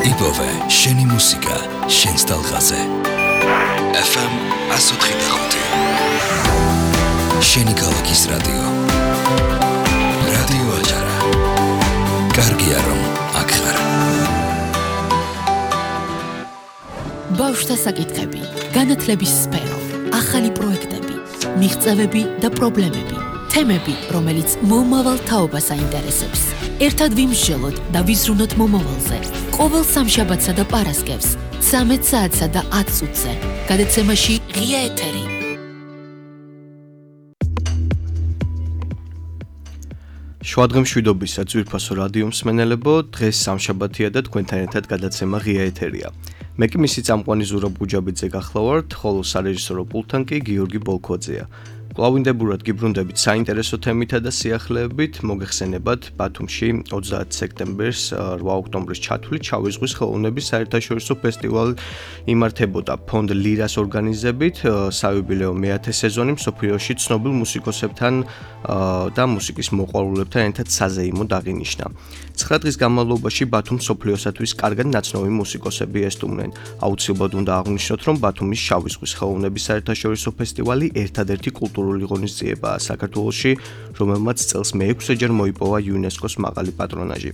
იპოვე შენი მუსიკა შენს ტალღაზე. FM 104.5 შენი ქალაქის რადიო. რადიო აჭარა. კარგია რომ აქ ხარ. ბავშვთა საკითხები, განათლების სფერო, ახალი პროექტები, მიღწევები და პრობლემები, თემები, რომელიც მომავალ თაობას აინტერესებს. ერთად ვიმსჯელოთ და ვიზრუნოთ მომავალზე. ყოველ სამშაბათსა და პარასკევს, 13 საათსა და 10 წუთზე. გადაცემაში ღია ეთერი. შვადღემშვიდობისა ძვირფასო რადიო მსმენელებო, დღეს სამშაბათია და თქვენთან ერთად გადაცემა ღია ეთერია. მე კი მისი წამყვანი ზურაბ გუჯაბიძე გახლავართ, ხოლო სარეჟისორო პულტთან კი გიორგი ბოლქვაძეა. კლავინდებურად გიბრუნდებით საინტერესო თემითა და სიახლეებით, მოგეხსენებათ ბათუმში 30 სექტემბერს 8 ოქტომბრის ჩათვლით შავი ზღვის ხელოვნების საერთაშორისო ფესტივალი იმართებოდა ფონდ ლირას ორგანიზებით, საიუბილეო მე-10 სეზონი მსოფლიოში ცნობილ მუსიკოსებთან და მუსიკის მოყვარულებთან ერთად საზეიმოდ აღინიშნა. 9 დღის განმავლობაში ბათუმს მსოფლიოსათვის კარგად ნაცნობი მუსიკოსები ესტუმრნენ. აუცილებლად უნდა აღვნიშნოთ, რომ ბათუმის შავი ზღვის ხელოვნების საერთაშორისო ფესტივალი ერთადერთი კულტურული ღონისძიებაა საქართველოში, რომელმაც წელს მე-6-ჯერ მოიპოვა იუნესკოს მაღალი პატრონაჟი.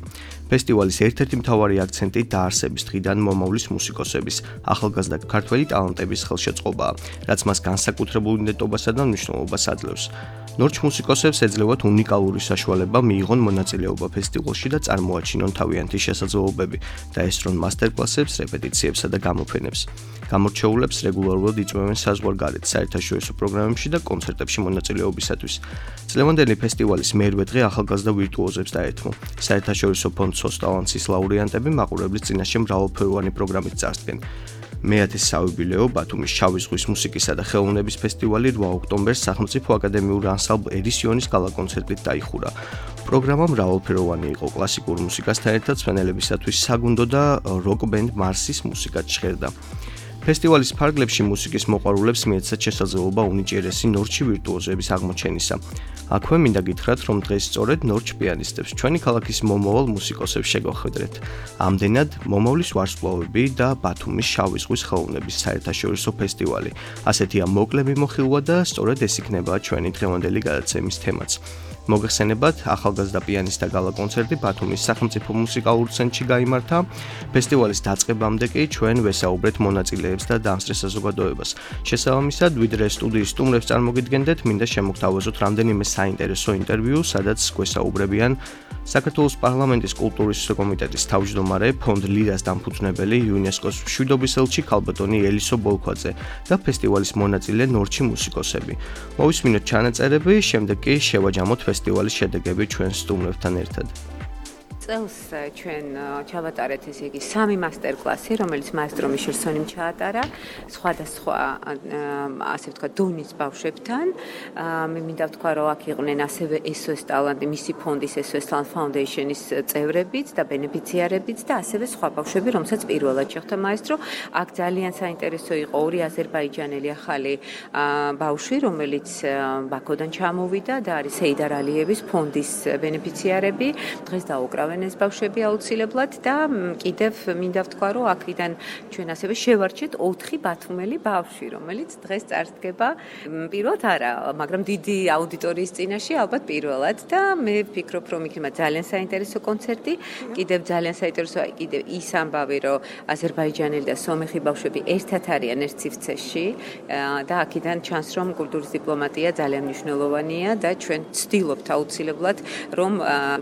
ფესტივალის ერთ-ერთი მთავარი აქცენტი დაარსების დღიდან მომავლის მუსიკოსების, ახალგაზრდა ქართველი ტალანტების ხელშეწყობაა, რაც მას განსაკუთრებულ იდენტობასა და მნიშვნელობას აძლევს. ნორჩ მუსიკოსებს ეძლევათ უნიკალური საშუალება მიიღონ მონაწილეობა ფესტივალში და წარმოაჩინონ თავიანთი შესაძლებლობები და ესწრონ მასტერკლასებს, რეპეტიციებსა და გამოფენებს. გამორჩეულებს რეგულარულად იწვევენ საზღვარგარეთ საერთაშორისო პროგრამებში და კონცერტებში მონაწილეობისათვის. წლევანდელი ფესტივალის მერვე დღე ახალგაზრდა ვირტუოზებს დაეთმო. საერთაშორისო ფონდ SOS ტალანტის ლაურეანტები მაყურებლის წინაშე მრავალფეროვანი პროგრამით წარსდგენ. მე-10 საიუბილეო ბათუმის შავი ზღვის მუსიკისა და ხელოვნების ფესტივალი 8 ოქტომბერს სახელმწიფო აკადემიური ანსამბლ ერისიონის გალა-კონცერტით დაიხურა. პროგრამა მრავალფეროვანი იყო, კლასიკურ მუსიკასთან ერთად მსმენელებისათვის საგუნდო და როკ ბენდ მარსის მუსიკაც ჟღერდა. ფესტივალის ფარგლებში მუსიკის მოყვარულებს მიეცათ შესაძლებლობა უნიჭიერესი ნორჩი ვირტუოზების აღმოჩენისა. აქვე მინდა გითხრათ, რომ დღეს სწორედ ნორჩ პიანისტებს ჩვენი ქალაქის მომავალ მუსიკოსებს შეგვახვედრეთ. ამდენად მომავლის ვარსკვლავები და ბათუმის შავი ზღვის ხელოვნების საერთაშორისო ფესტივალი. ასეთია მოკლე მიმოხილვა და სწორედ ეს იქნება ჩვენი დღევანდელი გადაცემის თემაც. მოგეხსენებათ, ახალგაზრდა პიანისტთა გალა-კონცერტი ბათუმის სახელმწიფო მუსიკალურ ცენტრში გაიმართა. ფესტივალის დაწყებამდე კი ჩვენ ვესაუბრეთ მონაწილეებს და დამსწრე საზოგადოებას. შესაბამისად, ვიდრე სტუდიის სტუმრებს წარმოგიდგენდეთ, მინდა შემოგთავაზოთ რამდენიმე საინტერესო ინტერვიუ, სადაც გვესაუბრებიან საქართველოს პარლამენტის კულტურის კომიტეტის თავმჯდომარე, ფონდ ლირას დამფუძნებელი, იუნესკოს მშვიდობის ელჩი ქალბატონი ელისო ბოლქვაძე და ფესტივალის მონაწილე ნორჩი მუსიკოსები. მოვისმინოთ ჩანაწერები, შემდეგ კი შევაჯამოთ ფესტივალის შედეგები ჩვენ სტუმრებთან ერთად. წელს ჩვენ ჩავატარეთ ესე იგი 3 მასტერკლასი, რომელიც მაესტრო მიშელ სონიმ ჩაატარა სხვადასხვა ასე ვთქვა დონის ბავშვებთან. მე მინდა ვთქვა, რომ აქ იყვნენ ასევე SOS ტალანტი, მისი ფონდის SOS Talent Foundation-ის წევრებიც და ბენეფიციარებიც და ასევე სხვა ბავშვები, რომელსაც პირველად შეხვდა მაესტრო. აქ ძალიან საინტერესო იყო ორი აზერბაიჯანელი ახალი ბავშვი, რომელიც ბაქოდან ჩამოვიდა და არის ეიდარ ალიევის ფონდის ბენეფიციარები. დღეს დაუკრავენ ეს ბავშვები აუცილებლად და კიდევ მინდა ვთქვა, რომ აქედან ჩვენ ასევე შევარჩეთ 4 ბათუმელი ბავშვი, რომელიც დღეს წარსდგება პირველად არა, მაგრამ დიდი აუდიტორიის წინაშე ალბათ პირველად და მე ვფიქრობ, რომ იქნება ძალიან საინტერესო კონცერტი. კიდევ ძალიან საინტერესოა კიდევ ის ამბავი, რომ აზერბაიჯანელი და სომეხი ბავშვები ერთად არიან ერთ სივრცეში და აქედან ჩანს, რომ კულტურის დიპლომატია ძალიან მნიშვნელოვანია და ჩვენ ვცდილობთ აუცილებლად, რომ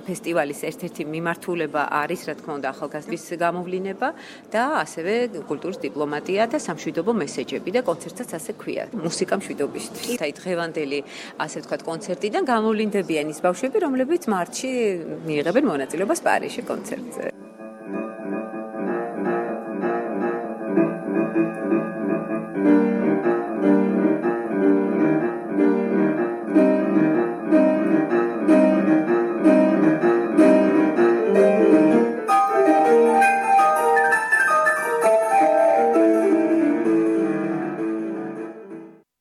ფესტივალის ერთ-ერთი მიმართულება არის, რა თქმა უნდა, ახალგაზრდების გამოვლინება და ასევე კულტურის დიპლომატია და სამშვიდობო მესეჯები და კონცერტსაც ასე ქვია, მუსიკა მშვიდობისთვის. აი დღევანდელი, ასე ვთქვათ, კონცერტიდან გამოვლინდებიან ის ბავშვები, რომლებიც მარტში მიიღებენ მონაწილეობას პარიზში კონცერტზე.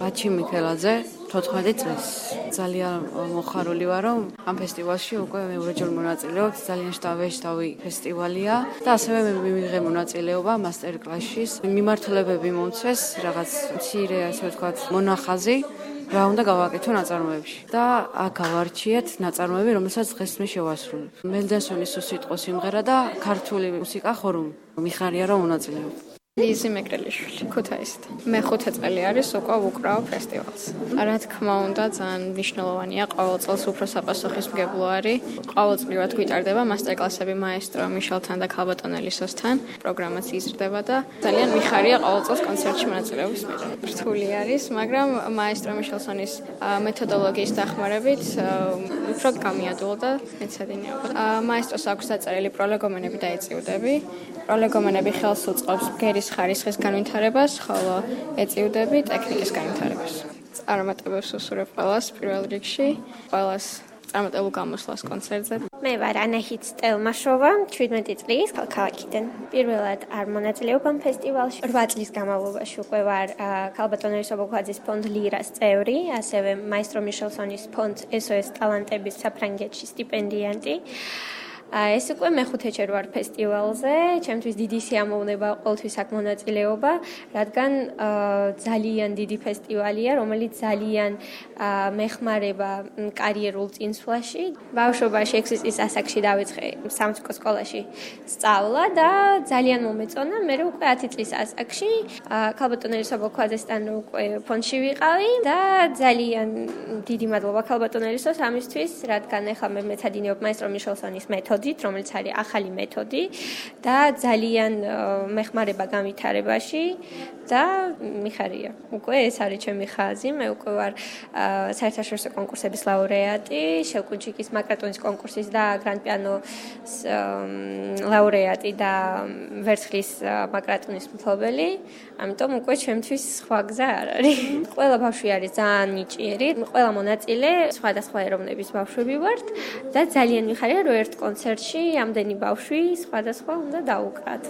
ბაჩი მიქელაძე 14 წლის ძალიან მოხარული ვარ, რომ ამ ფესტივალში უკვე მეორეჯერ მონაწილეობ. ძალიან შტავი ფესტივალია და ასევე მე მივიღე მონაწილეობა მასტერკლასში. მიმართულებები მომცეს, რაღაც მცირე, ასე ვთქვათ, მონახაზი რა უნდა გავაკეთო ნაწარმოებში და აქ გავარჩიეთ ნაწარმოები, რომელსაც დღეს მე შევასრულებ. მელდენსონის უსიტყვო სიმღერა და ქართული მუსიკა ხორუმი. მიხარია რომ მონაწილეობ. ლიზი მეგრელიშვილი, ქუთაისიდან. მე 5 წელი არის უკვე ვუკრავ ფესტივალს. რა თქმა უნდა, ძალიან მნიშვნელოვანია ყოველ წელს უფრო საპასუხისმგებლო არის. ყოველწლიურად გვიტარდება მასტერკლასები მაესტრო მიშელთან და ქალბატონელისოსთან. პროგრამაც იზრდება და ძალიან მიხარია ყოველ წელს კონცერტში მონაწილეობის მიღება. რთული არის, მაგრამ მაესტრო მიშელსონის მეთოდოლოგიის დახმარებით უფრო გამიადვილა და მეცადინეობა. მაესტროს აქვს დაწერილი პროლეგომენები და ეწიუდები. პროლეგომენები ხელს უწყობს ბგერის ხარისხის განვითარებას, ხოლო ეწიუდები ტექნიკის განვითარებას. წარმატებებს უსურვებ ყველას პირველ რიგში, ყველას წარმატებულ გამოსვლას კონცერტზე. მე ვარ ანაჰით სტელმაშოვა, 17 წლის ქალაქიდან. პირველად არ მონაწილეობ ამ ფესტივალში. 8 წლის განმავლობაში უკვე ვარ ქალბატონელის ობოლქვაძის ფონდ ლირას წევრი, ასევე მაესტრო მიშელსონის ფონდ SOS ტალანტების საფრანგეთში სტიპენდიანტი. ეს უკვე მე-5-ჯერ ვარ ფესტივალზე, ჩემთვის დიდი სიამოვნება ყოველთვის აქ მონაწილეობა, რადგან ძალიან დიდი ფესტივალია, რომელიც ძალიან მეხმარება კარიერულ წინსვლაში. ბავშვობაში 6 წლის ასაკში დავიწყე სამუსიკო სკოლაში სწავლა და ძალიან მომეწონა. მე უკვე 10 წლის ასაკში ქალბატონელის ობოლქვაძესთან უკვე ფონდში ვიყავი და ძალიან დიდი მადლობა ქალბატონელისოს ამისთვის, რადგან ახლა მე მეცადინეობ მაესტრო მიშელსონის მეთოდით, რომელიც არის ახალი მეთოდი და ძალიან მეხმარება განვითარებაში და მიხარია. უკვე ეს არის ჩემი ხაზი, მე უკვე ვარ საერთაშორისო კონკურსების ლაურეატი, შევკუნჩიკის მაკრატონის კონკურსის და გრან პიანოს ლაურეატი და ვერცხლის მაკრატონის მფლობელი, ამიტომ უკვე ჩემთვის სხვა გზა არ არის. ყველა ბავშვი არის ძალიან ნიჭიერი, ყველა მონაწილე სხვადასხვა ეროვნების ბავშვები ვართ და ძალიან მიხარია რომ ერთ კონცერტში ამდენი ბავშვი სხვადასხვა უნდა დაუკრათ.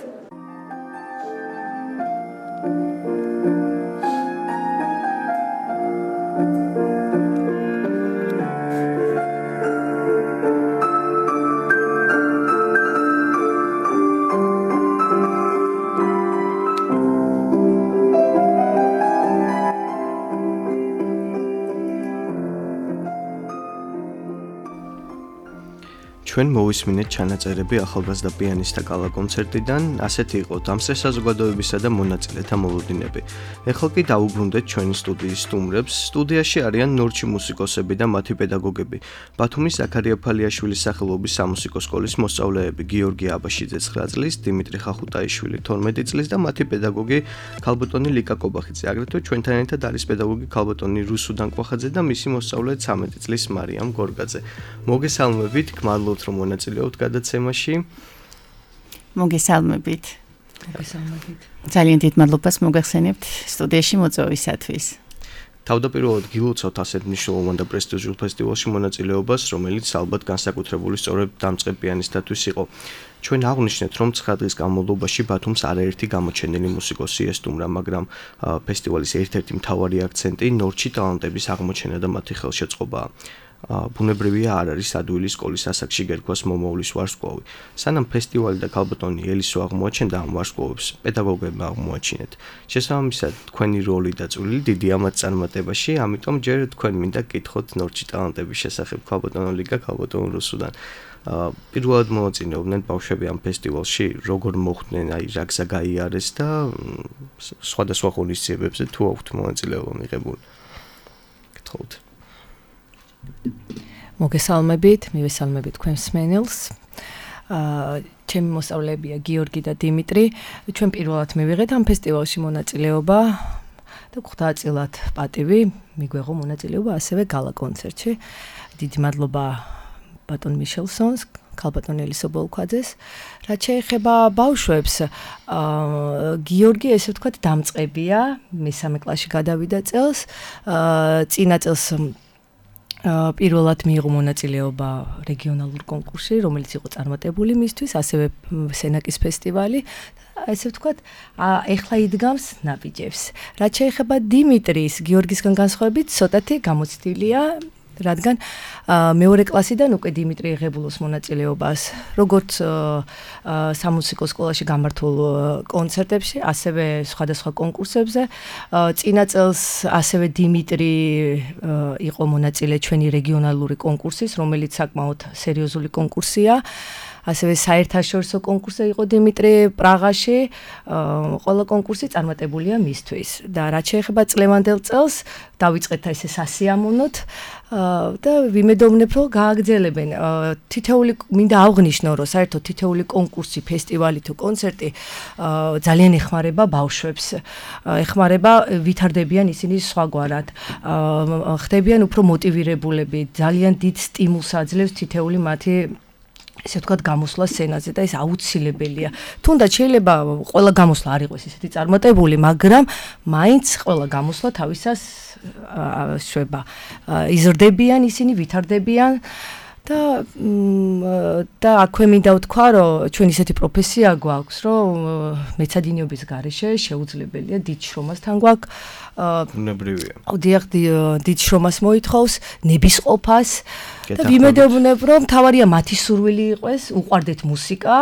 ჩვენ მოვისმინეთ ჩანაწერები ახალგაზრდა პიანისტთა გალა კონცერტიდან, ასეთი იყო დამსწრე საზოგადოებისა და მონაწილეთა მოლოდინები. ეხლა კი დავუბრუნდეთ ჩვენი სტუდიის სტუმრებს. სტუდიაში არიან ნორჩი მუსიკოსები და მათი პედაგოგები. ბათუმის ზაქარია ფალიაშვილის სახელობის სამუსიკო სკოლის მოსწავლეები გიორგი აბაშიძე 9 წლის, დიმიტრი ხახუტაიშვილი 12 წლის და მათი პედაგოგი ქალბატონი ლიკა კობახიძე. აგრეთვე ჩვენთან ერთად არის პედაგოგი ქალბატონი რუსუ დანკვახაძე და მისი მოსწავლე 13 წლის მარიამ გორგაძე. მოგესალმებით, გმადლობთ რომ მონაწილეობთ გადაცემაში. მოგესალმებით. ძალიან დიდ მადლობას მოგახსენებთ სტუდიაში მოწვევისათვის. თავდაპირველად გილოცავთ ასეთ მნიშვნელოვან და პრესტიჟულ ფესტივალში მონაწილეობას, რომელიც ალბათ განსაკუთრებული სწორედ დამწყებ პიანისტთათვის იყო. ჩვენ აღვნიშნეთ, რომ 9 დღის განმავლობაში ბათუმს არაერთი გამოჩენილი მუსიკოსი ესტუმრა, მაგრამ ფესტივალის ერთ-ერთი მთავარი აქცენტი ნორჩი ტალანტების აღმოჩენა და მათი ხელშეწყობაა. ბუნებრივია არ არის ადვილი სკოლის ასაკში გერკვას მომავლის ვარსკვლავი. სანამ ფესტივალი და ქალბატონი ელისო აღმოაჩენდა ამ ვარსკვლავებს, პედაგოგებმა აღმოაჩინეთ. შესაბამისად, თქვენი როლი და წვლილი დიდია მათ წარმატებაში, ამიტომ ჯერ თქვენ მინდა გკითხოთ ნორჩი ტალანტების შესახებ ქალბატონო ლიკა, ქალბატონო რუსუდან. პირველად მონაწილეობდნენ ბავშვები ამ ფესტივალში, როგორ მოხვდნენ, აი რა გზა გაიარეს და სხვადასხვა ღონისძიებებზე თუ აქვთ მონაწილეობა მიღებული. გთხოვთ. მოგესალმებით, მივესალმებით თქვენ მსმენელს. ჩემი მოსწავლეებია გიორგი და დიმიტრი. ჩვენ პირველად მივიღეთ ამ ფესტივალში მონაწილეობა და გვხდაწილად პატივი მიგვეღო მონაწილეობა ასევე გალა კონცერტში. დიდი მადლობა ბატონ მიშელსონს, ქალბატონ ელისო ბოლქვაძეს. რაც შეეხება ბავშვებს, გიორგი ესე ვთქვათ დამწყებია, მესამე კლასში გადავიდა წელს. წინა წელს პირველად მიიღო მონაწილეობა რეგიონალურ კონკურსში, რომელიც იყო წარმატებული მისთვის, ასევე სენაკის ფესტივალი. ესე ვთქვათ, ეხლა იდგამს ნაბიჯებს. რაც შეეხება დიმიტრის, გიორგისგან განსხვავებით, ცოტათი გამოცდილია, რადგან მეორე კლასიდან უკვე დიმიტრი იღებულობს მონაწილეობას როგორც სამუსიკო სკოლაში გამართულ კონცერტებში, ასევე სხვადასხვა კონკურსებზე. წინა წელს ასევე დიმიტრი იყო მონაწილე ჩვენი რეგიონალური კონკურსის, რომელიც საკმაოდ სერიოზული კონკურსია. ასევე საერთაშორისო კონკურსი იყო დიმიტრი პრაღაში. ყველა კონკურსი წარმატებულია მისთვის და რაც შეეხება წლევანდელ წელს, დავიწყეთ ესე სასიამოვნოთ და ვიმედოვნებ, რომ გააგრძელებენ. თითეული მინდა აღვნიშნო, რომ საერთოდ თითეული კონკურსი, ფესტივალი თუ კონცერტი ძალიან ეხმარება ბავშვებს. ეხმარება, ვითარდებიან ისინი სხვაგვარად. ხდებიან უფრო მოტივირებულები, ძალიან დიდ სტიმულს აძლევს თითეული მათი ესე ვთქვათ გამოსვლა სცენაზე და ეს აუცილებელია. თუნდაც შეიძლება ყველა გამოსვლა არ იყოს ისეთი წარმატებული, მაგრამ მაინც ყველა გამოსვლა თავისას შვება. იზრდებიან ისინი, ვითარდებიან და აქვე მინდა ვთქვა, რომ ჩვენ ისეთი პროფესია გვაქვს, რომ მეცადინეობის გარეშე შეუძლებელია დიდ შრომასთან გვაქვს. უნებრივია. დიახ, დიდ შრომას მოითხოვს, ნებისყოფას და ვიმედოვნებ, რომ თავარია მათი სურვილი იყოს, უყვარდეთ მუსიკა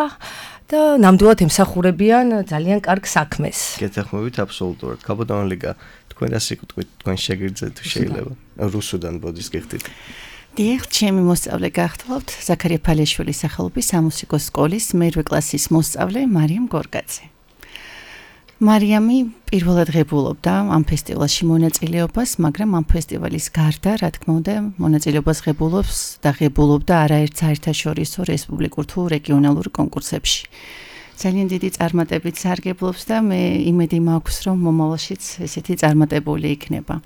და ნამდვილად ემსახურებიან ძალიან კარგ საქმეს. გეთანხმებით აბსოლუტურად. კაბოტონ ლიგა, თქვენ რა სიკვდით, თქვენ შეგიძლია თუ შეიძლება რუსუდან ბოდის გიხდით. დიახ, ჩემი მოსწავლე გახლავთ ზაქარია ფალეშვილის სახელობის სამუსიკო სკოლის მერვე კლასის მოსწავლე მარიამ გორგაძე. მარიამი პირველად ღებულობდა ამ ფესტივალში მონაწილეობას, მაგრამ ამ ფესტივალის გარდა, რა თქმა უნდა, მონაწილეობას ღებულობს და ღებულობდა არაერთ საერთაშორისო რესპუბლიკურ თუ რეგიონალურ კონკურსებში. ძალიან დიდი წარმატებით სარგებლობს და მე იმედი მაქვს, რომ მომავალშიც ესეთი წარმატებული იქნება.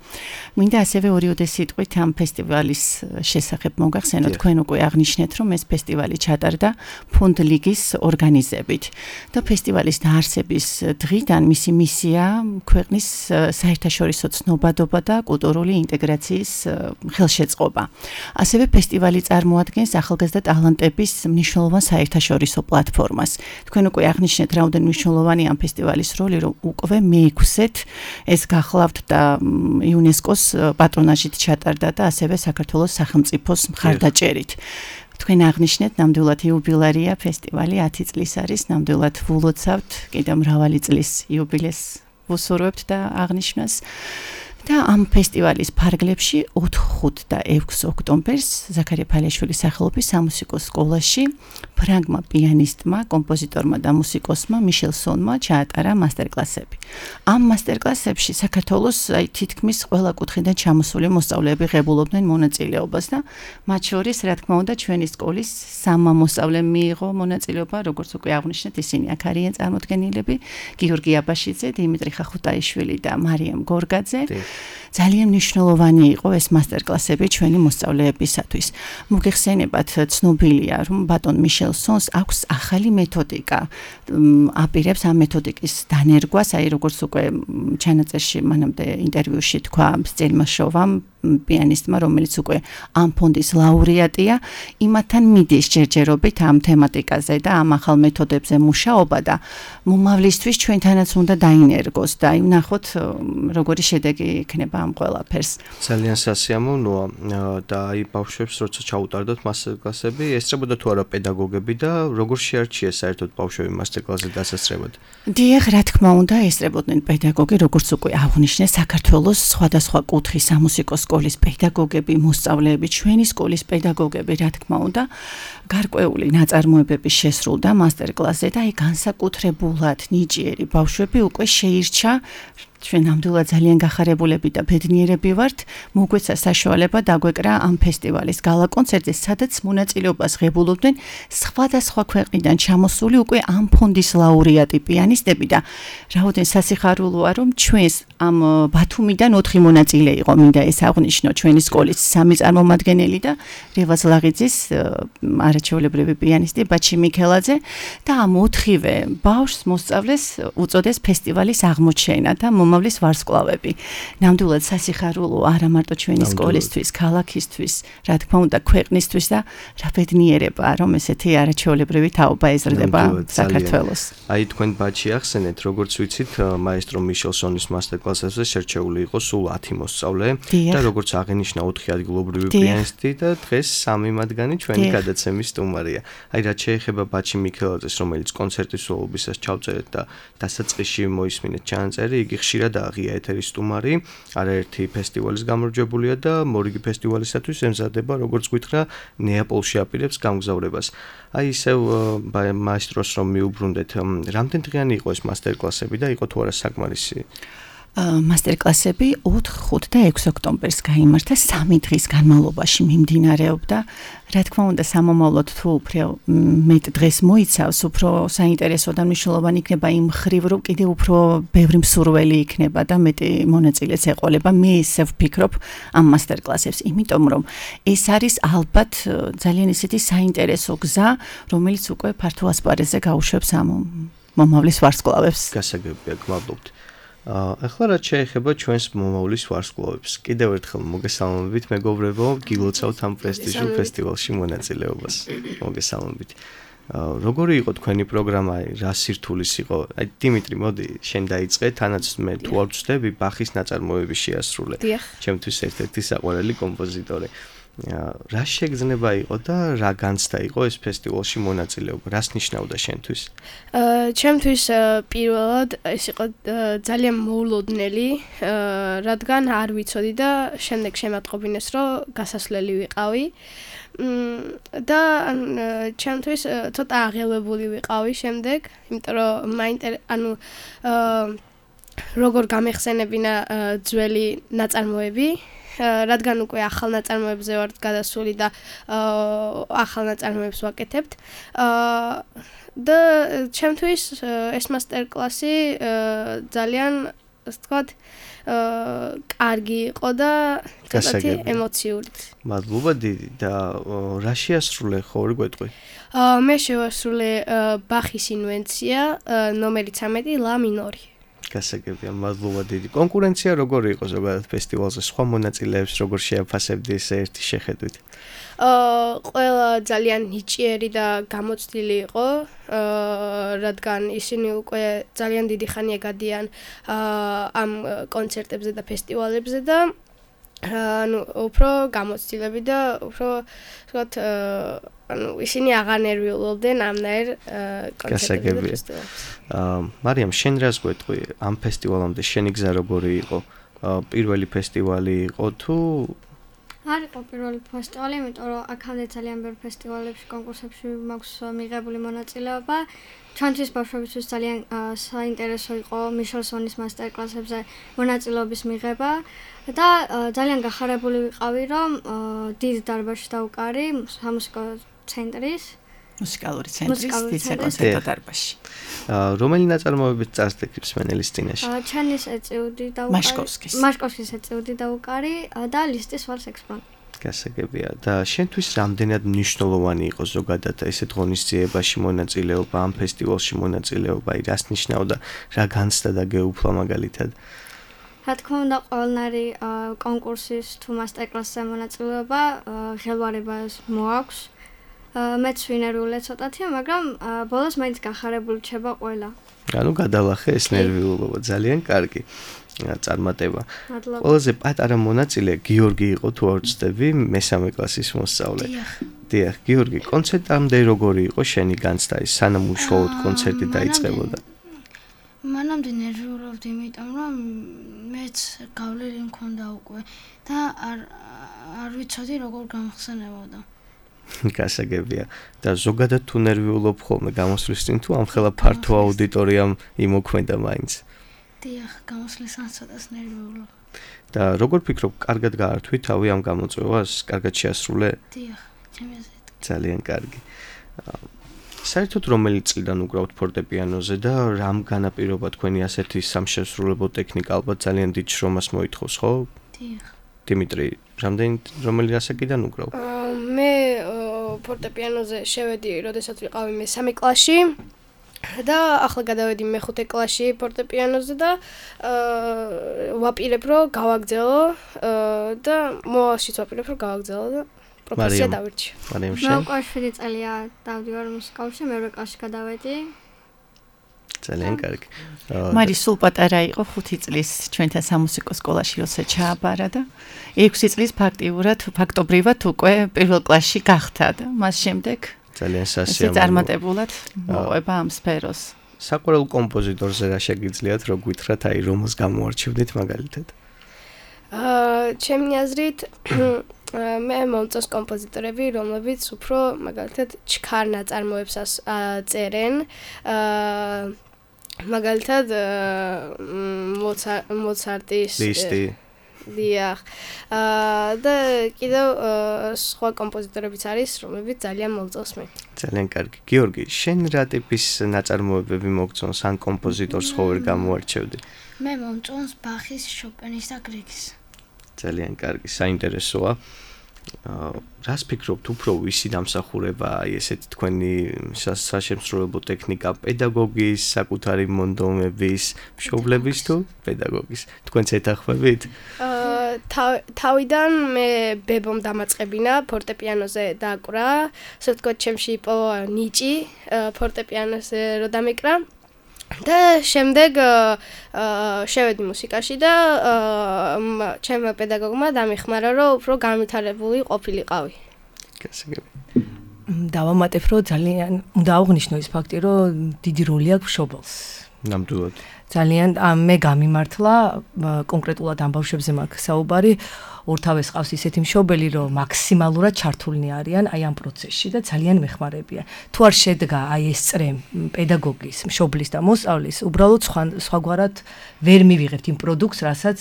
მინდა ასევე ორი სიტყვით ამ ფესტივალის შესახებ მოგახსენოთ. თქვენ უკვე აღნიშნეთ, რომ ეს ფესტივალი ჩატარდა ფონდ ლიგის ორგანიზებით და ფესტივალის დაარსების დღიდან მისი მისია ქვეყნის საერთაშორისო ცნობადობა და კულტურული ინტეგრაციის ხელშეწყობა. ასევე ფესტივალი წარმოადგენს ახალგაზრდა ტალანტების მნიშვნელოვან საერთაშორისო პლატფორმას. თქვენ უკვე აღნიშნეთ, რაოდენ მნიშვნელოვანი ამ ფესტივალის როლი, რომ უკვე მე-6-ით ეს გახლავთ და იუნესკოს პატრონაჟით ჩატარდა და ასევე საქართველოს სახელმწიფოს მხარდაჭერით. თქვენ აღნიშნეთ, ნამდვილად იუბილეარია ფესტივალი 10 წლის არის, ნამდვილად ვილოცავთ, კიდევ მრავალი წლის იუბილეს ვუსურვებთ და აღნიშვნას. და ამ ფესტივალის ფარგლებში 4, 5 და 6 ოქტომბერს ზაქარია ფალეშვილის სახელობის სამუსიკო სკოლაში ფრანგმა პიანისტმა, კომპოზიტორმა და მუსიკოსმა მიშელსონმა ჩაატარა მასტერკლასები. ამ მასტერკლასებში საქართველოს თითქმის ყველა კუთხიდან ჩამოსული მოსწავლეები ღებულობდნენ მონაწილეობას და მათ შორის, რა თქმა უნდა, ჩვენი სკოლის 3 მოსწავლემ მიიღო მონაწილეობა, როგორც უკვე აღნიშნეთ, ისინი აქ არიან წარმოდგენილები, გიორგი აბაშიძე, დიმიტრი ხახუტაიშვილი და მარიამ გორგაძე. ძალიან მნიშვნელოვანი იყო ეს მასტერკლასები ჩვენი მოსწავლეებისათვის. მოგეხსენებათ, ცნობილია, რომ ბატონ მიშელსონს აქვს ახალი მეთოდიკა. აპირებს ამ მეთოდიკის დანერგვას, აი როგორც უკვე ჩანაწერში მანამდე ინტერვიუში თქვა სცენმაშოვამ პიანისტმა, რომელიც უკვე ამ ფონდის ლაურეატია, იმათთან მიდის ჯერჯერობით ამ თემატიკაზე და ამ ახალ მეთოდებზე მუშაობა და მომავლისთვის ჩვენთანაც უნდა დაინერგოს და ნახოთ როგორი შედეგი იქნება ამ ყველაფერს. ძალიან სასიამოვნოა და აი ბავშვებს როცა ჩაუტარდოთ მასტერკლასები, ესწრებოდა თუ არა პედაგოგები და როგორ შეარჩიეს საერთოდ ბავშვები მასტერკლასზე დასასწრებად? დიახ, რა თქმა უნდა, ესწრებოდნენ პედაგოგი, როგორც უკვე აღნიშნე, საქართველოს სხვადასხვა კუთხის სამუსიკო სკოლის პედაგოგები, მოსწავლეები, ჩვენი სკოლის პედაგოგები, რა თქმა უნდა, გარკვეული ნაწარმოებები შესრულდა მასტერკლასზე და აი განსაკუთრებულად ნიჭიერი ბავშვები უკვე შეირჩა ჩვენ ნამდვილად ძალიან გახარებულები და ბედნიერები ვართ, მოგვეცა საშუალება დაგვეკრა ამ ფესტივალის გალა კონცერტზე, სადაც მონაწილეობას ღებულობდნენ სხვადასხვა ქვეყნიდან ჩამოსული უკვე ამ ფონდის ლაურეატი პიანისტები და რაოდენ სასიხარულოა, რომ ჩვენს ამ ბათუმიდან 4 მონაწილე იყო, მინდა ეს აღნიშნო, ჩვენი სკოლის 3 წარმომადგენელი და რევაზ ლაღიძის არაჩვეულებრივი პიანისტი ბაჩი მიქელაძე და ამ 4-ვე ბავშვს მოსწავლეს უწოდეს ფესტივალის აღმოჩენა და მომავლის ვარსკვლავები. ნამდვილად სასიხარულო არა მარტო ჩვენი სკოლისთვის, ქალაქისთვის, რა თქმა უნდა, ქვეყნისთვის და რა ბედნიერება, რომ ესეთი არაჩვეულებრივი თაობა ეზრდება საქართველოს. აი თქვენ ბაჩი ახსენეთ, როგორც ვიცით, მაესტრო მიშელსონის მასტერკლასებზე შერჩეული იყო სულ 10 მოსწავლე და როგორც აღინიშნა 4 ადგილობრივი პიანისტი და დღეს 3 მათგანი ჩვენი გადაცემის სტუმარია. აი რაც შეეხება ბაჩი მიქელაძეს, რომელიც კონცერტის სრულობისას ჩავწერეთ და დასაწყისში მოისმინეთ ჩანაწერი, იგი ხშირად აღია ეთერის სტუმარი, არაერთი ფესტივალის გამარჯვებულია და მორიგი ფესტივალისათვის ემზადება, როგორც გითხრა, ნეაპოლში აპირებს გამგზავრებას. აი ისევ მაესტროს რომ მიუბრუნდეთ, რამდენ დღიანი იყო ეს მასტერკლასები და იყო თუ არა საკმარისი? მასტერკლასები 4, 5 და 6 ოქტომბერს გაიმართა 3 დღის განმავლობაში მიმდინარეობდა. რა თქმა უნდა, სამომავლოდ თუ უფრო მეტ დღეს მოიცავს, უფრო საინტერესო და მნიშვნელოვანი იქნება იმ მხრივ, რომ კიდევ უფრო ბევრი მსურველი იქნება და მეტი მონაწილეც ეყოლება. მე ისევ ვფიქრობ ამ მასტერკლასებს, იმიტომ რომ ეს არის ალბათ ძალიან ისეთი საინტერესო გზა, რომელიც უკვე ფართო ასპარეზზე გაუშვებს ამ მომავლის ვარსკვლავებს. გასაგებია, გმადლობთ. ახლა რაც შეეხება ჩვენს მომავლის ვარსკვლავებს, კიდევ ერთხელ მოგესალმებით მეგობრებო, გილოცავთ ამ პრესტიჟულ ფესტივალში მონაწილეობას. მოგესალმებით. როგორი იყო თქვენი პროგრამა, რა სირთულის იყო? აი დიმიტრი, მოდი, შენ დაიწყე, თანაც მე თუ არ ვწდები, ბახის ნაწარმოები შეასრულე. ჩემთვის ერთ-ერთი საყვარელი კომპოზიტორი. რა შეგრძნება იყო და რა განცდა იყო ეს ფესტივალში მონაწილეობა? რას ნიშნავდა შენთვის? ჩემთვის პირველად ეს იყო ძალიან მოულოდნელი, რადგან არ ვიცოდი და შემდეგ შემატყობინეს, რომ გასასვლელი ვიყავი. და ჩემთვის ცოტა აღელვებული ვიყავი შემდეგ, იმიტომ რომ როგორ გამეხსენებინა ძველი ნაწარმოები, რადგან უკვე ახალ ნაწარმოებზე ვართ გადასული და ახალ ნაწარმოებს ვაკეთებთ. და ჩემთვის ეს მასტერკლასი ძალიან, ასე ვთქვათ, კარგი იყო და ცოტათი ემოციური. მადლობა დიდი და რა შეასრულე, ხორი გვეტყვი? მე შევასრულე ბახის ინვენცია, ნომერი 13, ლა მინორი. გასაგებია, მადლობა დიდი. კონკურენცია როგორი იყო ზოგადად ფესტივალზე? სხვა მონაწილეებს როგორ შეაფასებდი ეს ერთი შეხედვით? ყველა ძალიან ნიჭიერი და გამოცდილი იყო, რადგან ისინი უკვე ძალიან დიდი ხანია გადიან ამ კონცერტებზე და ფესტივალებზე და უფრო გამოცდილები და უფრო, ვთქვათ, ისინი აღარ ნერვიულობდნენ ამნაირ კონცერტებზე და ფესტივალებზე. მარიამ, შენ რას გვეტყვი ამ ფესტივალამდე? შენი გზა როგორი იყო? პირველი ფესტივალი იყო თუ არ იყო პირველი ფესტივალი, იმიტომ რომ აქამდე ძალიან ბევრ ფესტივალებში, კონკურსებში მაქვს მიღებული მონაწილეობა. ჩვენთვის ბავშვებისთვის ძალიან საინტერესო იყო მიშელსონის მასტერკლასებზე მონაწილეობის მიღება და ძალიან გახარებული ვიყავი, რომ დიდ დარბაზში დავუკარი სამუსიკო ცენტრის მუსიკალური ცენტრის დიდ საკონცერტო დარბაზში. რომელი ნაწარმოებებით წარსდით მსმენელის წინაშე? ჩანის ეწეუდი დავუკარი. მაშკოვსკის ეწეუდი დავუკარი და ლისტის ვალს ექსპონატი. გასაგებია და შენთვის რამდენად მნიშვნელოვანი იყო ზოგადად ესეთ ღონისძიებაში მონაწილეობა, ამ ფესტივალში მონაწილეობა, რას ნიშნავდა, რა განცდა და გეუფლა მაგალითად? რა თქმა უნდა, ყველნაირი კონკურსის თუ მასტერკლასზე მონაწილეობა ხელვარებას მოაქვს. მეც ვინერვიულე ცოტათი, მაგრამ ბოლოს მაინც გახარებული რჩება ყველა. ანუ გადალახე ეს ნერვიულობა, ძალიან კარგი წარმატება. ყველაზე პატარა მონაწილე გიორგი იყო თუ არ ვწდები, მესამე კლასის მოსწავლე. დიახ, გიორგი, კონცერტამდე როგორი იყო შენი განცდა, სანამ უშუალოდ კონცერტი დაიწყებოდა? მანამდე ნერვიულობდი, იმიტომ რომ მეც გავლილი მქონდა უკვე და არ ვიცოდი როგორ გამხსენებოდა. გასაგებია და ზოგადად თუ ნერვიულობ ხოლმე გამოსვლის წინ თუ ამ ხელა ფართო აუდიტორიამ იმოქმედა მაინც? დიახ, გამოსვლისას ცოტას ნერვიულობ. და როგორ ფიქრობ, კარგად გაართვი თავი ამ გამოწვევას? კარგად შეასრულე? დიახ, ჩემი აზრით. ძალიან კარგი. საერთოდ რომელი წლიდან უკრავთ ფორტეპიანოზე და რამ განაპირობა თქვენი ასეთი სამშესრულებო ტექნიკა? ალბათ ძალიან დიდ შრომას მოითხოვს, ხო? დიახ. დიმიტრი, რომელი ასაკიდან უკრავ? მე ფორტეპიანოზე შევედი, როდესაც ვიყავი მესამე კლასში და ახლა გადავედი მე-5 კლასში ფორტეპიანოზე და ვაპირებ რომ გავაგრძელო და მოვალშიც ვაპირებ რომ გავაგრძელო და პროფესია დავირჩიო. მე 7 წელია დავდივარ მუსიკალში, მე 2 კლასში გადავედი. ძალიან კარგი. მარი სულ პატარა იყო 5 წლის ჩვენთან სამუსიკო სკოლაში როცა ჩააბარა და 6 წლის ფაქტობრივად უკვე პირველ კლასში გახდა და მას შემდეგ ძალიან სასიამოვნო. წარმატებულად მოყვება ამ სფეროს. საყვარელ კომპოზიტორზე რა შეგიძლიათ რო გითხრათ, აი რომელს გამოარჩევდით მაგალითად? ჩემი აზრით მე მომწონს კომპოზიტორები, რომლებიც უფრო მაგალითად ჩქარ ნაწარმოებს წერენ. მაგალითად მოცარტის ლისტი დიახ. და კიდევ სხვა კომპოზიტორებიც არის, რომლებიც ძალიან მომწონს მე. ძალიან კარგი. გიორგი, შენ რა ტიპის ნაწარმოებები მოგწონს ან კომპოზიტორს ხო ვერ გამოარჩევდი? მე მომწონს ბახის, შოპენის და გრიგის. ძალიან კარგი, საინტერესოა. რას ფიქრობთ, უფრო ვისი დამსახურება, აი ესეთი თქვენი საშემსრულებლო ტექნიკა, პედაგოგის, საკუთარი მონდომების, მშობლების თუ პედაგოგის? თქვენც ეთანხმებით? თავიდან მე ბებომ დამაწყებინა ფორტეპიანოზე დაკვრა, ასე ვთქვათ, ჩემში იპოვა ნიჭი ფორტეპიანოზე რო დამეკრა. და შემდეგ შევედი მუსიკაში და ჩემმა პედაგოგმა დამეხმარა, რომ უფრო განვითარებული ყოფილიყავი. გასაგები. დავამატებ, რომ ძალიან უნდა აღვნიშნო ის ფაქტი, რომ დიდი როლი აქვს მშობელს. ნამდვილად. ძალიან მე გამიმართლა კონკრეტულად ამ ბავშვებზე მაქვს საუბარი. ორთავეს ყავს ისეთი მშობელი, რომ მაქსიმალურად ჩართულნი არიან აი ამ პროცესში და ძალიან მეხმარებიან. თუ არ შედგა აი ეს წრე პედაგოგის, მშობლის და მოსწავლის, უბრალოდ სხვაგვარად ვერ მივიღებთ იმ პროდუქტს, რასაც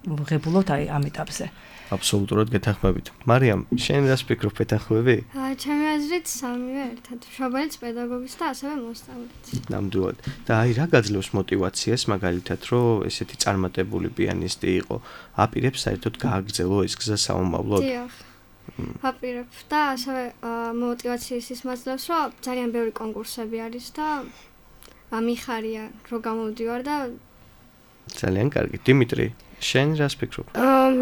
ვღებულობთ აი ამ ეტაპზე. აბსოლუტურად გეთანხმებით. მარიამ, შენ რას ფიქრობ, ეთანხმები? ჩემი აზრით სამივე ერთად, მშობელიც, პედაგოგიც და ასევე მოსწავლეც. ნამდვილად. და აი რა გაძლევს мотиваციას მაგალითად, რომ ესეთი წარმატებული პიანისტი იყო, აპირებს საერთოდ გააგრძელო ეს გზა საომავლოდ? დიახ. აპირებ და ასევე мотиваციას ის მაძლევს, რომ ძალიან ბევრი კონკურსები არის და მიხარია რომ გამოვდივარ და ძალიან კარგი. დიმიტრი, შენ რას ფიქრობ?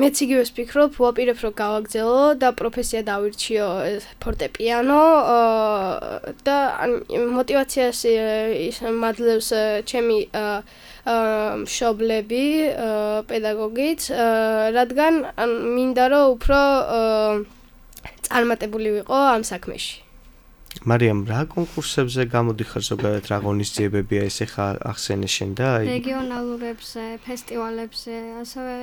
მეც იგივეს ვფიქრობ, ვაპირებ რომ გავაგრძელო და პროფესია დავირჩიო ფორტეპიანო და мотиваციას ის მაძლევს ჩემი მშობლები, პედაგოგიც, რადგან მინდა რომ უფრო წარმატებული ვიყო ამ საქმეში. მარიამ, რა კონკურსებზე გამოდიხარ ზოგადად, რა ღონისძიებებია ეს ახლა ახსენე შენ და აი რეგიონალურებზე, ფესტივალებზე, ასევე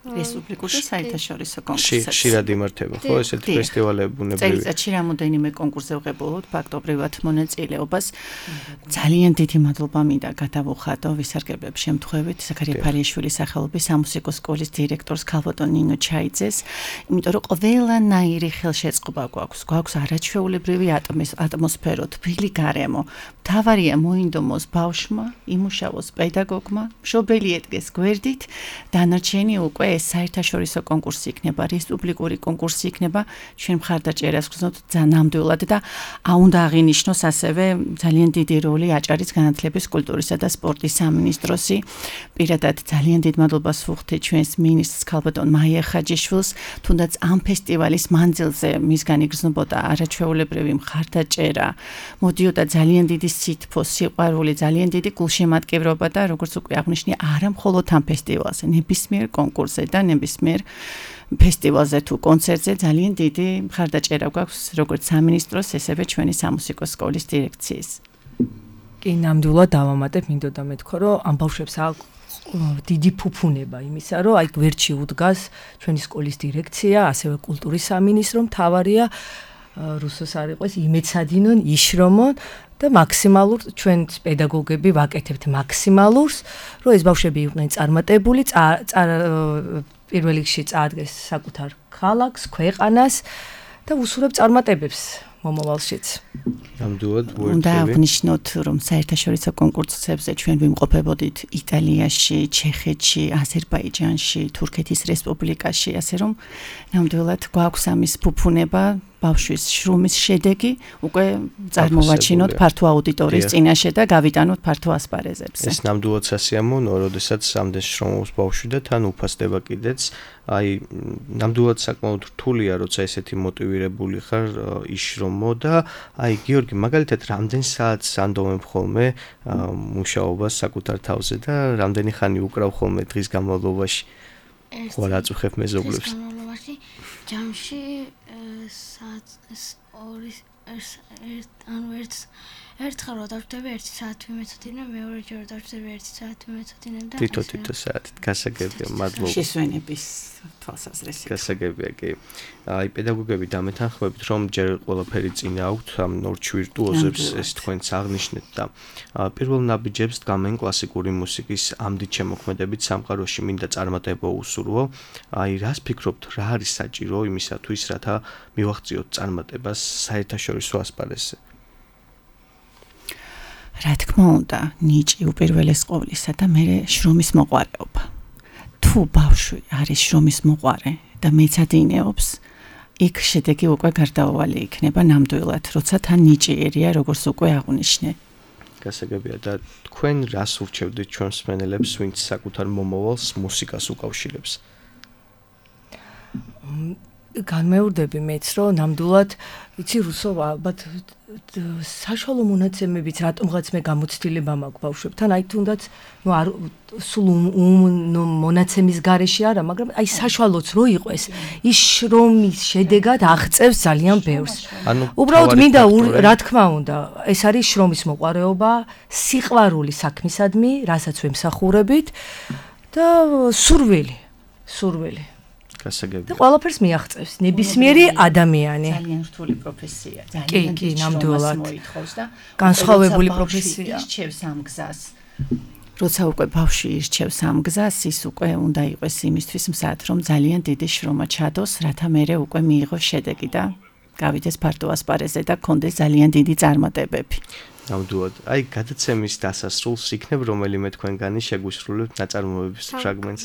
რესპუბლიკურ და საერთაშორისო კონკურსებში. ხშირად იმართება, ხო, ესეთი ფესტივალები ბუნებრივია. წელიწადში რამოდენიმე კონკურსზე ვღებულობთ ფაქტობრივად მონაწილეობას. ძალიან დიდი მადლობა მინდა გადავუხადო ვისარგებლებ შემთხვევით ზაქარია ფალიაშვილის სახელობის სამუსიკო სკოლის დირექტორს ქალბატონ ნინო ჩაიძეს, იმიტომ რომ ყველანაირი ხელშეწყობა გვაქვს. გვაქვს არაჩვეულებრივი ატმოსფერო, თბილი გარემო. მთავარია მოინდომოს ბავშვმა, იმუშაოს პედაგოგმა, მშობელი ედგეს გვერდით, დანარჩენი უკვე ეს საერთაშორისო კონკურსი იქნება, რესპუბლიკური კონკურსი იქნება, ჩვენ მხარდაჭერას გრძნობთ ნამდვილად და უნდა აღინიშნოს ასევე ძალიან დიდი როლი აჭარის განათლების, კულტურისა და სპორტის სამინისტროსი. პირადად ძალიან დიდ მადლობას ვუხდით ჩვენს მინისტრს ქალბატონ მაია ხაჯიშვილს, თუნდაც ამ ფესტივალის მანძილზე მისგან იგრძნობოდა არაჩვეულებრივი მხარდაჭერა, მოდიოდა ძალიან დიდი სითბო, სიყვარული, ძალიან დიდი გულშემატკივრობა და როგორც უკვე აღნიშნე, არა მხოლოდ ამ ფესტივალზე, ნებისმიერ კონკურსზე და ნებისმიერ ფესტივალზე თუ კონცერტზე ძალიან დიდი მხარდაჭერა გვაქვს როგორც სამინისტროს, ესევე ჩვენი სამუსიკო სკოლის დირექციის. კი, ნამდვილად დავამატებ, მინდოდა მეთქვა, რომ ამ ბავშვებს აქვს დიდი ფუფუნება იმისა, რომ აი გვერდში უდგას ჩვენი სკოლის დირექცია, ასევე კულტურის სამინისტრო, მთავარია რუსოს არ იყოს იმეცადინონ, იშრომონ და მაქსიმალურ ჩვენ პედაგოგები ვაკეთებთ მაქსიმალურს, რომ ეს ბავშვები იყვნენ წარმატებული, პირველ რიგში წაადგეს საკუთარ ქალაქს, ქვეყანას და უსურვებ წარმატებებს მომავალშიც. ნამდვილად უნდა აღნიშნოთ, რომ საერთაშორისო კონკურსებზე ჩვენ ვიმყოფებოდით იტალიაში, ჩეხეთში, აზერბაიჯანში, თურქეთის რესპუბლიკაში, ასე რომ ნამდვილად გვაქვს ამის ფუფუნება, ბავშვის შრომის შედეგი უკვე წარმოვაჩინოთ ფართო აუდიტორიის წინაშე და გავიტანოთ ფართო ასპარეზებზე. ეს ნამდვილად სასიამოვნოა, როდესაც ამდენ შრომობს ბავშვი და თან უფასდება კიდეც. აი, ნამდვილად საკმაოდ რთულია, როცა ესეთი მოტივირებული ხარ იშრომო და აი, გიორგი, მაგალითად, რამდენ საათს ანდომებ ხოლმე მუშაობას საკუთარ თავზე და რამდენი ხანი უკრავ ხოლმე დღის განმავლობაში? ხო, რაც უხებ მეზობლებს. დღის განმავლობაში ჯამში ერთხელ რო დავჭდები 1 საათი ვიმეცოდინებ, მეორეჯერ რო დავჭდები 1 საათი ვიმეცოდინებ და თითო საათით გასაგებია, მადლობა. შესვენების თვალსაზრისით. გასაგებია, კი. აი, პედაგოგები დამეთანხმებით, რომ ჯერ ყველაფერი წინ აქვთ, ამ ნორჩ ვირტუოზებს ეს თქვენც აღნიშნეთ და პირველ ნაბიჯებს დგამენ კლასიკური მუსიკის ამდით შემოქმედებით სამყაროში მინდა წარმატება უსურვო. აი, რას ფიქრობთ, რა არის საჭირო იმისათვის, რათა მივახციოთ წარმატებას საერთაშორისო ასპარეზზე? რა თქმა უნდა, ნიჭი უპირველეს ყოვლისა და მერე შრომის მოყვარეობა. თუ ბავშვი არის შრომის მოყვარე და მეცადინეობს, იქ შედეგი უკვე გარდაუვალი იქნება ნამდვილად, როცა თან ნიჭიერია, როგორც უკვე აღვნიშნე. გასაგებია და თქვენ რას ურჩევდით ჩვენს მსმენელებს, ვინც საკუთარ მომავალს მუსიკას უკავშირებს? განმეორდები მეც, რომ ნამდვილად, იცი რუსოვა, ალბათ საშუალო მონაცემებით რატომღაც მე გამოცდილება მაქვს ბავშვებთან, აი თუნდაც სულ მონაცემის გარეშე არა, მაგრამ აი საშუალოც რო იყოს, ის შრომის შედეგად აღწევს ძალიან ბევრს. უბრალოდ მინდა რა თქმა უნდა, ეს არის შრომის მოყვარეობა, სიყვარული საქმისადმი, რასაც ვემსახურებით და სურვილი. გასაგებია. და ყველაფერს მიაღწევს ნებისმიერი ადამიანი. ძალიან რთული პროფესია. კი, ნამდვილად. განსხვავებული პროფესია. ირჩევს ამ გზას. როცა უკვე ბავშვი ირჩევს ამ გზას, ის უკვე უნდა იყოს იმისთვის მზად, რომ ძალიან დიდი შრომა ჩადოს, რათა მერე უკვე მიიღოს შედეგი და გავიდეს ფართო ასპარეზზე და კონდეს ძალიან დიდი წარმატებები. ნამდვილად. აი, გადაცემის დასასრულს იქნებ რომელიმე თქვენგანი შეგვისრულებთ ნაწარმოების ფრაგმენტს.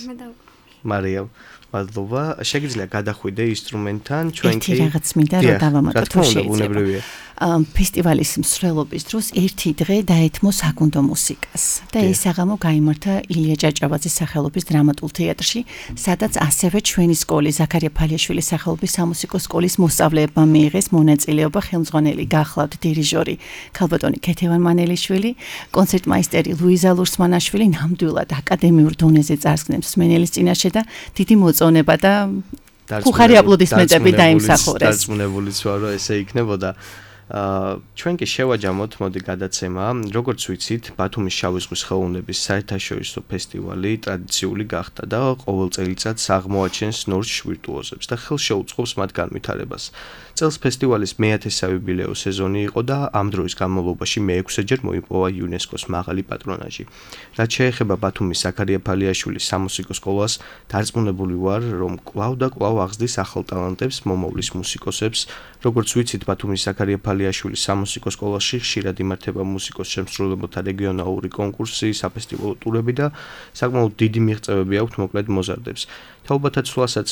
მარიამ, მადლობა. შეგიძლია გადახვიდე ინსტრუმენტთან, ჩვენ კი რაღაც მინდა რომ დავამატოთ თუ შეგვიძლია. ფესტივალის მსვლელობის დროს ერთი დღე დაეთმო საკუნდო მუსიკას და ეს საღამო გაიმართა ილია ჭაჭავაძის სახელობის დრამატულ თეატრში, სადაც ასევე ჩვენი სკოლის ზაქარია ფალიაშვილის სახელობის სამუსიკო სკოლის მოსწავლეებმა მიიღეს მონაწილეობა. ხელმძღვანელი გახლავთ დირიჟორი ქალბატონი ქეთევან მანელიშვილი, კონცერტმაისტერი ლუიზა ლურსმანაშვილი ნამდვილად აკადემიურ დონეზე წარსგნებს მსმენელის წინაშე და დიდი მოწონება და ხუხარი აპლოდისმენტები დაიმსახურეს. დარწმუნებულიც ვარ, რომ ესე იქნებოდა. ჩვენ კი შევაჯამოთ, მოდი გადაცემა. როგორც ვიცით, ბათუმის შავი ზღვის ხელოვნების საერთაშორისო ფესტივალი ტრადიციული გახდა და ყოველ წელიწადს აღმოაჩენს ნორჩ ვირტუოზებს და ხელს შეუწყობს მათ განვითარებას. წელს ფესტივალის მე-10 იუბილეო სეზონი იყო და ამ დროის განმავლობაში მე-6-ჯერ მოიპოვა იუნესკოს მაღალი პატრონაჟი. რაც შეეხება ბათუმის ზაქარია ფალიაშვილის სამუსიკო სკოლას, დარწმუნებული ვარ, რომ კვლავ და კვლავ აღზრდის ახალ ტალანტებს, მომავლის მუსიკოსებს. როგორც ვიცით, ბათუმის ზაქარია ფალიაშვილის სამუსიკო სკოლაში ხშირად იმართება მუსიკოს შემსრულებელთა რეგიონალური კონკურსი, საფესტივალო ტურები და საკმაოდ დიდი მიღწევები აქვთ მოკლედ მოზარდებს. თაობათა ცვლასაც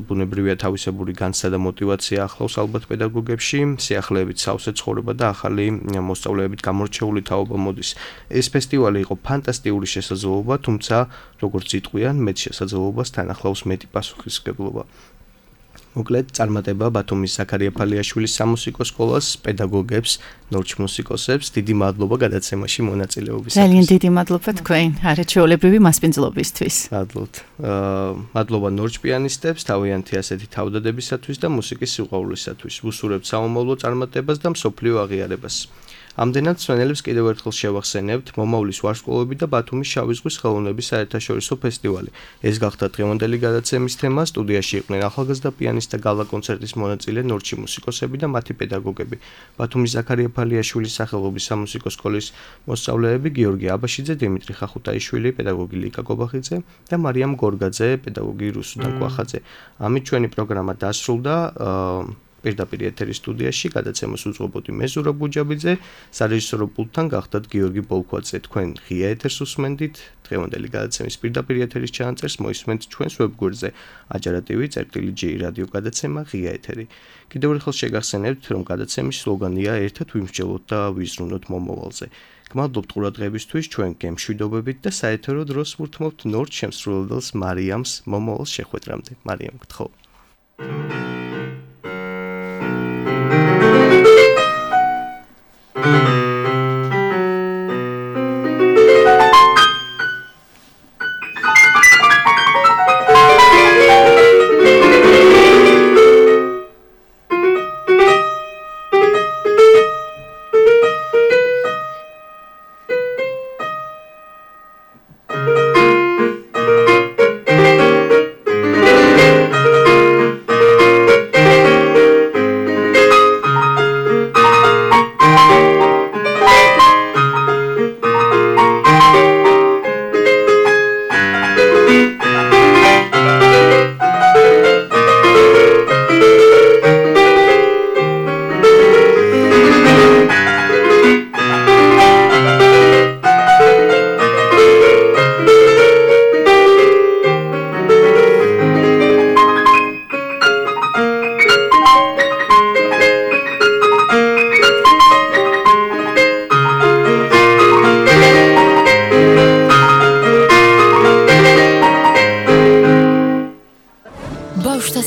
ბუნებრივია თავისებური განცდა და мотиваცია ახლავს ალბათ პედაგოგებში, სიახლეებით სავსე ცხოვრება და ახალი მოსწავლეებით გამორჩეული თაობა მოდის. ეს ფესტივალი იყო ფანტასტიკური შესაძლებლობა, თუმცა როგორც იტყვიან, მეტ შესაძლებლობას თან ახლავს მეტი პასუხისმგებლობა. მოკლედ წარმატება ბათუმის ზაქარია ფალიაშვილის სამუსიკო სკოლას, პედაგოგებს, ნორჩ მუსიკოსებს, დიდი მადლობა გადაცემაში მონაწილეობისათვის. ძალიან დიდი მადლობა თქვენ, არაჩვეულებრივი მასპინძლობისთვის. მადლობა ნორჩ პიანისტებს, თავიანთი ასეთი თავდადებისათვის და მუსიკის სიყვარულისათვის. ვუსურებთ საომავლო წარმატებას და მსოფლიო აღიარებას. ამდენად მსმენელებს კიდევ ერთხელ შევახსენებთ მომავლის ვარსკვლავები და ბათუმის შავი ზღვის ხელოვნების საერთაშორისო ფესტივალი. ეს გახდა დღევანდელი გადაცემის თემა. სტუდიაში იყვნენ ახალგაზრდა პიანისტთა გალა კონცერტის მონაწილე ნორჩი მუსიკოსები და მათი პედაგოგები. ბათუმის ზაქარია ფალიაშვილის სახელობის სამუსიკო სკოლის მოსწავლეები გიორგი აბაშიძე, დიმიტრი ხახუტაიშვილი, პედაგოგი ლიკა გობახიძე და მარიამ გორგაძე, პედაგოგი რუსუდან კვახაძე. ამით ჩვენი პროგრამა დასრულდა. პირდაპირ ეთერის სტუდიაში გადაცემას უძღვებოდი მე ზურაბ ბუჯაბიძე, სარეჟისორო პულტთან გახდათ გიორგი ბოლქვაძე. თქვენ ღია ეთერს უსმენდით, დღევანდელი გადაცემის პირდაპირ ეთერის ჩანაწერს მოისმენთ ჩვენს ვებგვერდზე ajarativi.gi რადიო გადაცემა ღია ეთერი. კიდევ ერთხელ შეგახსენებთ, რომ გადაცემის სლოგანია ერთად ვიმსჯელოთ და ვიზრუნოთ მომავალზე. გმადლობთ ყურადღებისთვის, ჩვენ გემშვიდობებით და საეთერო დროს ვურთმობთ ნორჩ შემსრულებელს მარიამს მომავალ შეხვედრამდე. მარიამ, გთხოვ.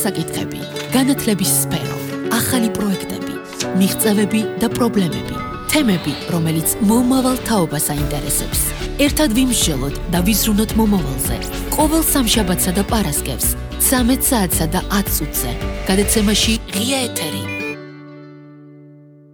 საკითხები, განათლების სფერო, ახალი პროექტები, მიღწევები და პრობლემები, თემები, რომელიც მომავალ თაობას აინტერესებს. ერთად ვიმსჯელოთ და ვიზრუნოთ მომავალზე. ყოველ სამშაბათსა და პარასკევს 13 საათსა და 10 წუთზე. გადაცემაში ღია ეთერი.